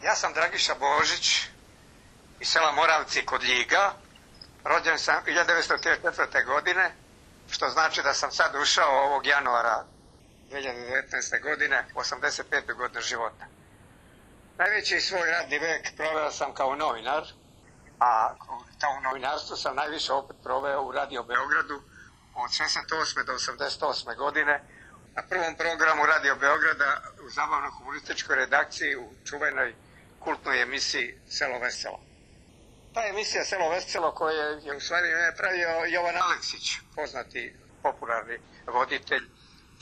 Ja sam Dragiša Božić iz sela Moravci kod Ljiga. Rođen sam 1934. godine, što znači da sam sad ušao ovog januara 2019. godine, 85. godine života. Najveći svoj radni vek proveo sam kao novinar, a u novinarstvu sam najviše opet proveo u Radio Beogradu od 68. do 88. godine. Na prvom programu Radio Beograda u zabavno-humorističkoj redakciji u čuvenoj kultnoj emisiji Selo veselo. Ta emisija Selo veselo koju je u stvari pravio Jovan Aleksić, poznati popularni voditelj,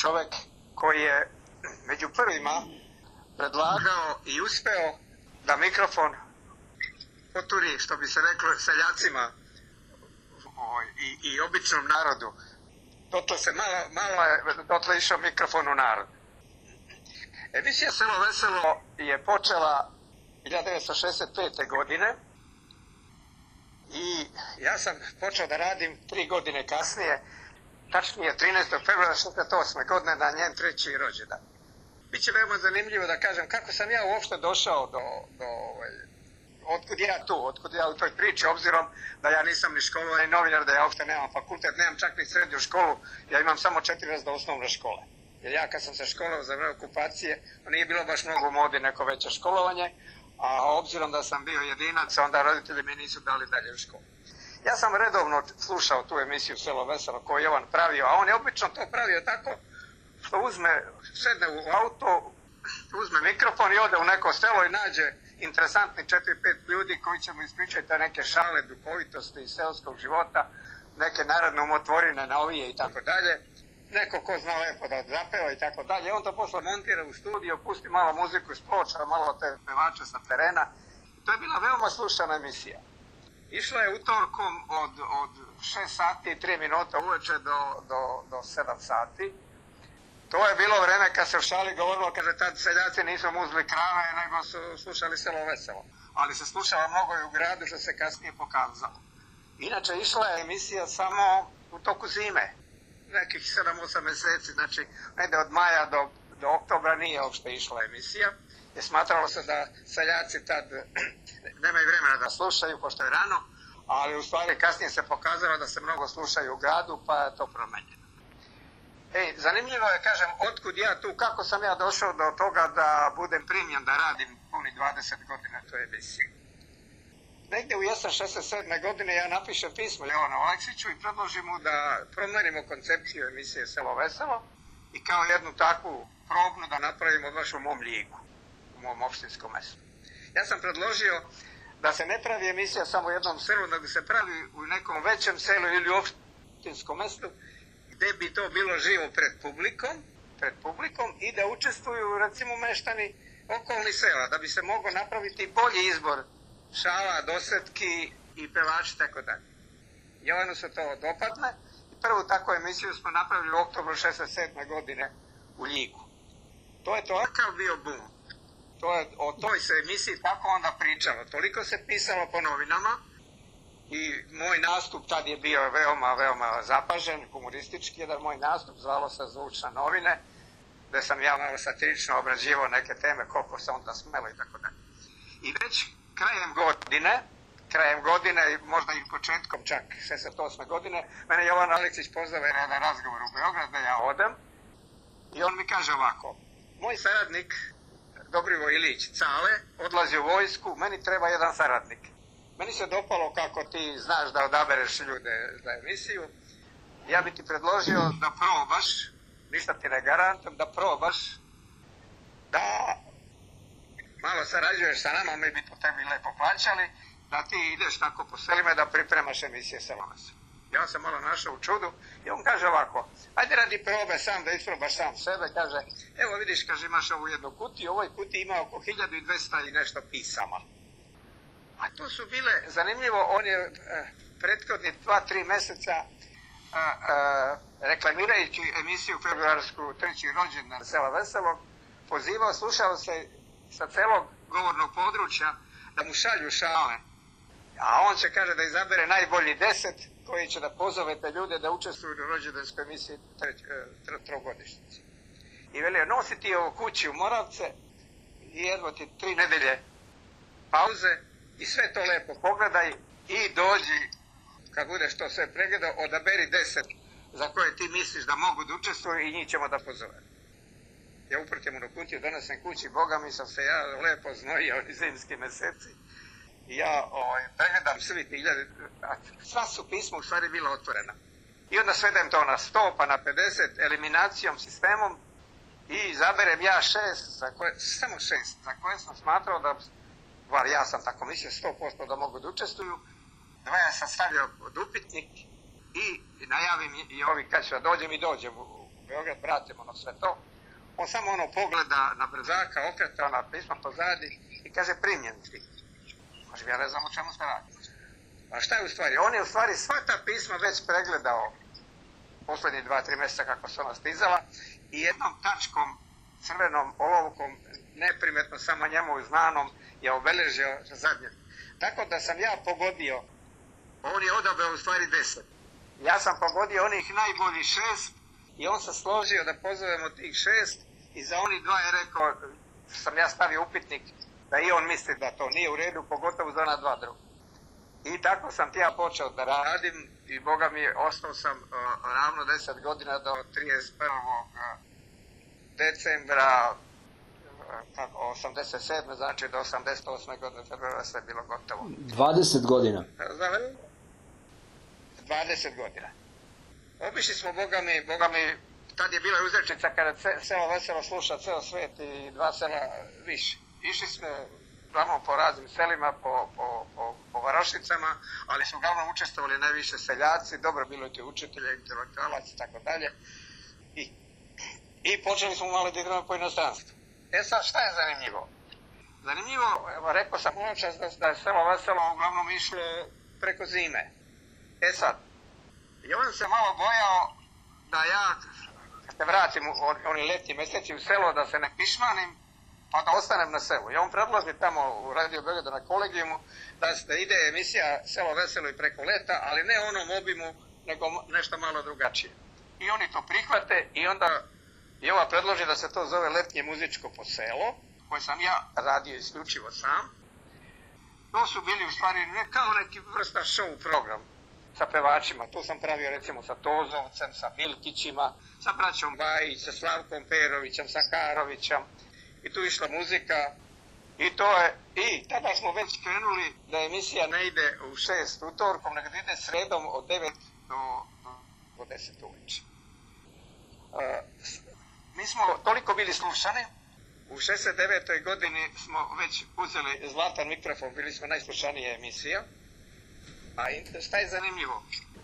čovjek koji je među prvima predlagao i uspeo da mikrofon poturi, što bi se reklo, seljacima i običnom narodu. Dotle išao mikrofon u narod. Emisija Selo veselo je počela 1965. godine i ja sam počeo da radim 3 godine kasnije, tačnije 13. februara 1968. godine na njen 3. rođendan. Biće veoma zanimljivo da kažem kako sam ja uopšte došao otkud ja u toj priči, obzirom da ja nisam ni školovani novinar, da ja uopšte nemam fakultet, nemam čak ni srednju školu, ja imam samo 4 razreda osnovne škole. Jer ja kad sam se školovao za vreme okupacije, nije bilo baš mnogo u modi neko veće školovanje, a obzirom da sam bio jedinac, onda roditelji mi nisu dali dalje u školu. Ja sam redovno slušao tu emisiju Selo veselo koju je Jovan pravio, a on je obično to pravio tako što sedne u auto, uzme mikrofon i ode u neko selo i nađe interesantni 4-5 ljudi koji će mu ispričati neke šale, duhovitosti iz seoskog života, neke narodne umotvorine, novije i tako dalje. Neko ko zna lepo da zapeva i tako dalje. On to posle montira u studio, pusti malo muziku iz ploča, malo te pevače sa terena. To je bila veoma slušana emisija. Išla je utorkom od 6 sati i 3 minuta uveče do 7 sati. To je bilo vreme kad se u šali govorilo, kaže tad seljaci nisu muzli krave, nego su slušali Selo veselo. Ali se slušala mnogo i u gradu, što se kasnije pokazalo. Inače, išla je emisija samo u toku zime, nekih 7-8 meseci, znači negde od maja do oktobra nije uopšte išla emisija, jer smatralo se da seljaci tad nemaju vremena da slušaju, pošto je rano, ali u stvari kasnije se pokazalo da se mnogo slušaju u gradu, pa je to promenjeno. Zanimljivo je, kažem, otkud ja tu, kako sam ja došao do toga da budem primljen da radim puni 20 godina toj emisiji. Negde u jesen 67. godine ja napišem pismo Jovanu Aleksiću i predložim mu da promenimo koncepciju emisije Selo veselo i kao jednu takvu probnu da napravimo baš u mom Ljigu, u mom opštinskom mestu. Ja sam predložio da se ne pravi emisija samo u jednom selu, nego se pravi u nekom većem selu ili u opštinskom mestu, gde bi to bilo živo pred publikom i da učestvuju recimo meštani okolnih sela, da bi se moglo napraviti bolji izbor šala, dosetki i pevači, tako dalje. Jovanu se to dopadne i prvu takvu emisiju smo napravili u oktobru 67. godine u Ljigu. To je takav bio bum. O toj se emisiji tako onda pričalo. Toliko se pisalo po novinama i moj nastup tad je bio veoma zapažen, humoristički jedan moj nastup, zvalo se Zvučne novine, gde sam ja malo satirično obrađivao neke teme, koliko se onda smelo i tako dalje. I već krajem godine, možda i početkom čak 68. godine, mene Jovan Aleksić pozove na jedan razgovor u Beograd da ja odem i on mi kaže ovako: moj saradnik Dobrivoj Ilić Cale odlazi u vojsku, meni treba jedan saradnik. Meni se dopalo kako ti znaš da odabereš ljude za emisiju. Ja bi ti predložio da probaš, ništa ti ne garantujem, da probaš da malo sarađuješ sa nama, mi bi to tebi lepo plaćali, da ti ideš tako po selima da pripremaš emisije Selo veselo. Ja sam malo našao u čudu i on kaže ovako: ajde radi probe sam da isprobaš sam sebe, kaže, evo vidiš, kaže, imaš ovu jednu kutiju, u ovoj kutiji ima oko 1200 i nešto pisama. A to su bile, zanimljivo, on je prethodni 2-3 meseca reklamirajući emisiju februarsku 3. rođendan Sela veselog, pozivao, slušao se sa celog govornog područja da mu šalju šale. A on će, kaže, da izabere najbolji 10 koji će da pozove te ljude da učestvuju u rođendanskoj emisiji trogodišnjice. I velio, nosi ti ovo kući u Moravce i jedva ti 3 nedelje pauze i sve to lepo pogledaj i dođi, kad budeš to sve pregledao, odaberi 10 za koje ti misliš da mogu da učestvuju i njih ćemo da pozovemo. Ja uprtjem u kutiju, donesem kući, Boga mi sam se ja lepo znojio i zimski meseci. I ja pregledam svi ti hiljade, a sva su pisma u stvari bila otvorena. I onda svedem to na 100 pa na 50 eliminacijom, sistemom i izaberem ja 6, samo 6, za koje sam smatrao da, bar ja sam tako mislio, 100% da mogu da učestvuju. Dvaja sam stavio pod upitnik i najavim i ovi kad ću da dođem i dođem u Beograd, vratimo sve to. On samo pogleda na brzaka, okreta na pisma pozadi i kaže primljen ti. Kažem, ja ne znam o čemu se radi. A šta je u stvari? On je u stvari sva ta pisma već pregledao poslednji 2-3 mjeseca kako su ona stizala i jednom tačkom, crvenom olovkom, neprimetno samo njemu znanom, je obeležio zadnje. Tako da sam ja pogodio, on je odabrao u stvari 10. Ja sam pogodio onih najboljih 6 i on se složio da pozovemo tih 6 i za oni 2 je rekao, sam ja stavio upitnik da i on misli da to nije u redu, pogotovo za ona 2 druga. I tako sam ja počeo da radim i Boga mi ostao sam ravno 10 godina do 31. decembra 87. znači do 88. godine februara sve bilo gotovo. 20 godina. 20 godina. Obišli smo, Boga mi, tad je bila uzrečica kada selo veselo sluša ceo svet i 2 sela više. Išli smo uglavnom po raznim selima, po varošicama, ali su uglavnom učestvovali najviše seljaci, dobro bilo ti učitelja, intelektualac i tako dalje. I počeli smo malo da igramo po inostranstvu. Sad šta je zanimljivo? Zanimljivo, rekao sam čas da je selo veselo uglavnom išlo preko zime. Sad, i on se malo bojao da ja, kad se vratim oni letnji meseci u selo, da se ne pišmanim, pa da ostanem na selu. I on predloži tamo u Radio Beogradu na kolegijumu da ide emisija Selo veselo i preko leta, ali ne onom obimu, nego nešto malo drugačije. I oni to prihvate i onda i ova predloži da se to zove Letnje muzičko po selo, koje sam ja radio isključivo sam. To su bili u stvari kao neki vrsta show program sa pevačima. Tu sam pravio recimo sa Tozovcem, sa Milkićima, sa braćom Bajić, sa Slavkom Perovićem, sa Karovićem. I tu išla muzika i tada smo već krenuli da emisija ne ide u 6 utorkom, nego da ide sredom od 9 do 10 uveče. Mi smo toliko bili slušani, u 69. godini smo već uzeli zlatan mikrofon, bili smo najslušanija emisija. A šta je zanimljivo?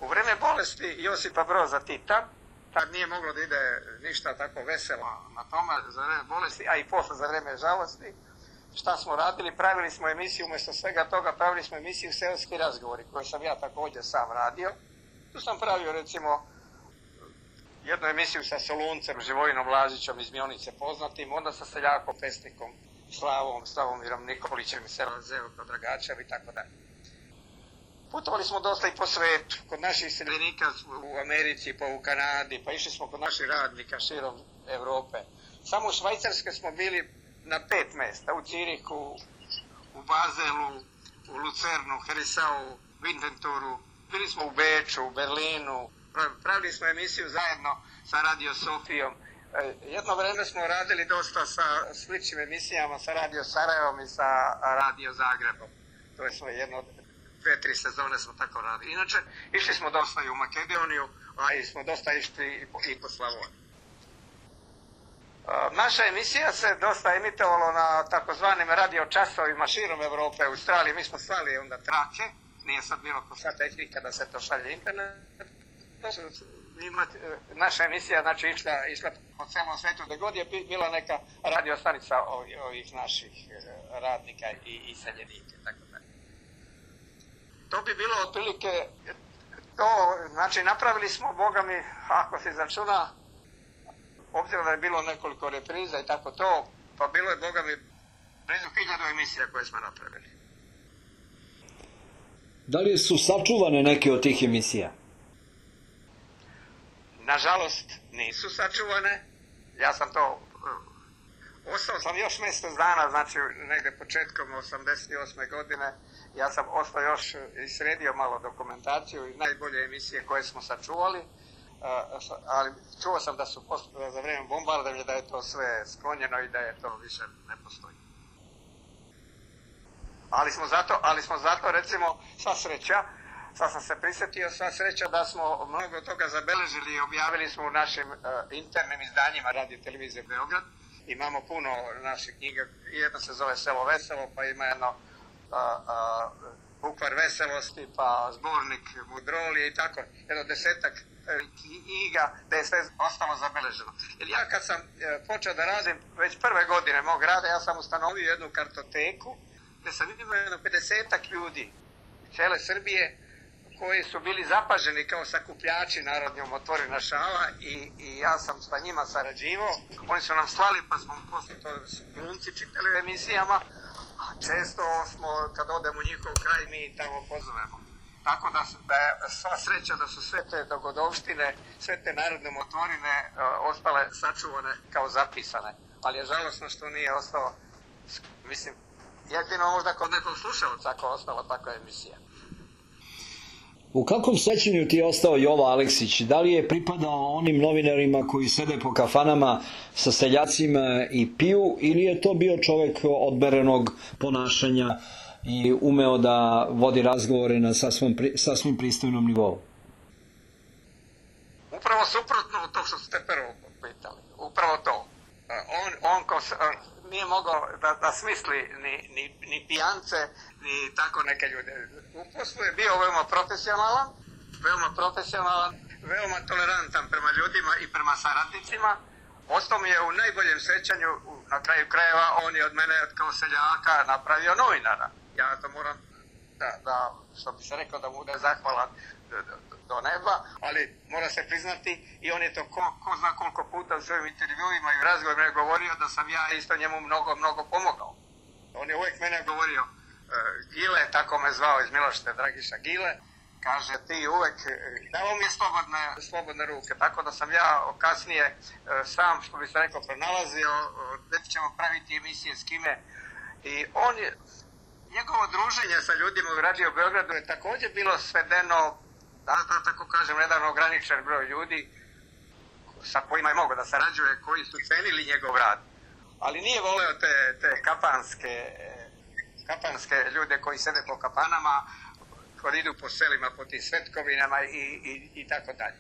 U vreme bolesti Josipa Broza Tita, tad nije moglo da ide ništa tako veselo na tome za vreme bolesti, a i posle za vreme žalosti. Šta smo radili? Pravili smo emisiju, umjesto svega toga pravili smo emisiju Seoski razgovori, koju sam ja također sam radio. Tu sam pravio recimo jednu emisiju sa Soluncem, Živojinom Lazićom iz Mionice poznatim, onda sa seljakom, pesnikom Slavomirom Nikolićem, sela Zevko Dragačev i tako dalje. Putovali smo dosta i po svetu, kod naših seljenika u Americi, pa u Kanadi, pa išli smo kod naših radnika širom Evrope. Samo u Švajcarskoj smo bili na 5 mesta, u Cirihu, u Bazelu, u Lucernu, Herisau, Windenturu, bili smo u Beču, u Berlinu, pravili smo emisiju zajedno sa Radio Sofijom. Jedno vreme smo radili dosta sa sličnim emisijama sa Radio Sarajevom i sa Radio Zagrebom. To je svoje jedno 2-3 sezone smo tako radili. Inače, išli smo dosta i u Makedoniju, a i smo dosta išli i po Slavoniji. Naša emisija se dosta emitovala na takozvanim radio časovima širom Evrope, u Australiji. Mi smo slali onda trake, nije sad bilo ko sva tehnika da se to šalje internet. Naša emisija znači išla po celom svetu, gde god je bila neka radio stanica ovih naših radnika i seljenika, tako dalje. To bi bilo otprilike to, znači napravili smo, Boga mi, ako se izračuna, obzirom da je bilo nekoliko repriza i tako to, pa bilo je, Boga mi, blizu 1000 emisija koje smo napravili. Da li su sačuvane neke od tih emisija? Nažalost, nisu sačuvane. Ja sam to Ostao sam još mjesec dana, znači negdje početkom 88. godine. Ja sam ostao još i sredio malo dokumentaciju i najbolje emisije koje smo sačuvali, ali čuo sam da su za vrijeme bombardovanja da je to sve sklonjeno i da je to više ne postoji. Ali smo zato recimo sva sreća, sad sam se prisjetio, sva sreća da smo mnogo toga zabeležili i objavili smo u našim internim izdanjima Radio Televizije Beograd. Imamo puno naših knjiga, jedna se zove Selo veselo, pa ima jedno Bukvar veselosti, pa zbornik Mudrolije i tako, jedno 10-ak knjiga da je sve ostalo zabeleženo. Jer ja kad sam počeo da radim, već prve godine mog rada, ja sam ustanovio jednu kartoteku gdje sam imao jedno 50-ak ljudi cijele Srbije koji su bili zapaženi kao sakupljači narodne umotvorina šala i ja sam sa njima sarađivao. Oni su nam slali pa smo poslije to glumci čitali u emisijama, a često smo kad odemo u njihov kraj mi tamo pozovemo. Tako da je sva sreća da su sve te dogodovštine, sve te narodne umotvorine ostale sačuvane kao zapisane. Ali je žalosno što nije ostalo, mislim, jedino možda kod nekog slušalca ako ostala takva emisija. U kakvom sećanju ti je ostao Jovo Aleksić? Da li je pripadao onim novinarima koji sede po kafanama sa seljacima i piju, ili je to bio čovjek odmerenog ponašanja i umeo da vodi razgovore na sasvim pristojnom nivou? Upravo suprotno od tog što ste prvo pitali. Upravo to. On nije mogao da smisli ni pijance, ni tako neke ljude. U poslu je bio veoma profesionalan, veoma tolerantan prema ljudima i prema saradnicima. Ostao mi je u najboljem sećanju, na kraju krajeva, on je od mene kao seljaka napravio novinara. Ja to moram da što bi se rekao, da mu bude zahvalan do neba, ali mora se priznati i on je to ko zna koliko puta u svojim intervjuima i u razgovorima govorio da sam ja isto njemu mnogo pomogao. On je uvijek mene govorio, Gile, tako me zvao iz Milošte, Dragiša Gile, kaže ti uvijek, dao mi je slobodne ruke, tako da sam ja kasnije sam, što bi se rekao, pronalazio, gdje ćemo praviti emisije s kime. I on je, njegovo druženje sa ljudima u Radio Beogradu je također bilo svedeno, da tako kažem, jedan ograničen broj ljudi sa kojima je mogao da sarađuje, koji su cenili njegov rad. Ali nije voleo te kapanske ljude koji sede po kapanama, koji idu po selima, po tim svetkovinama i tako dalje.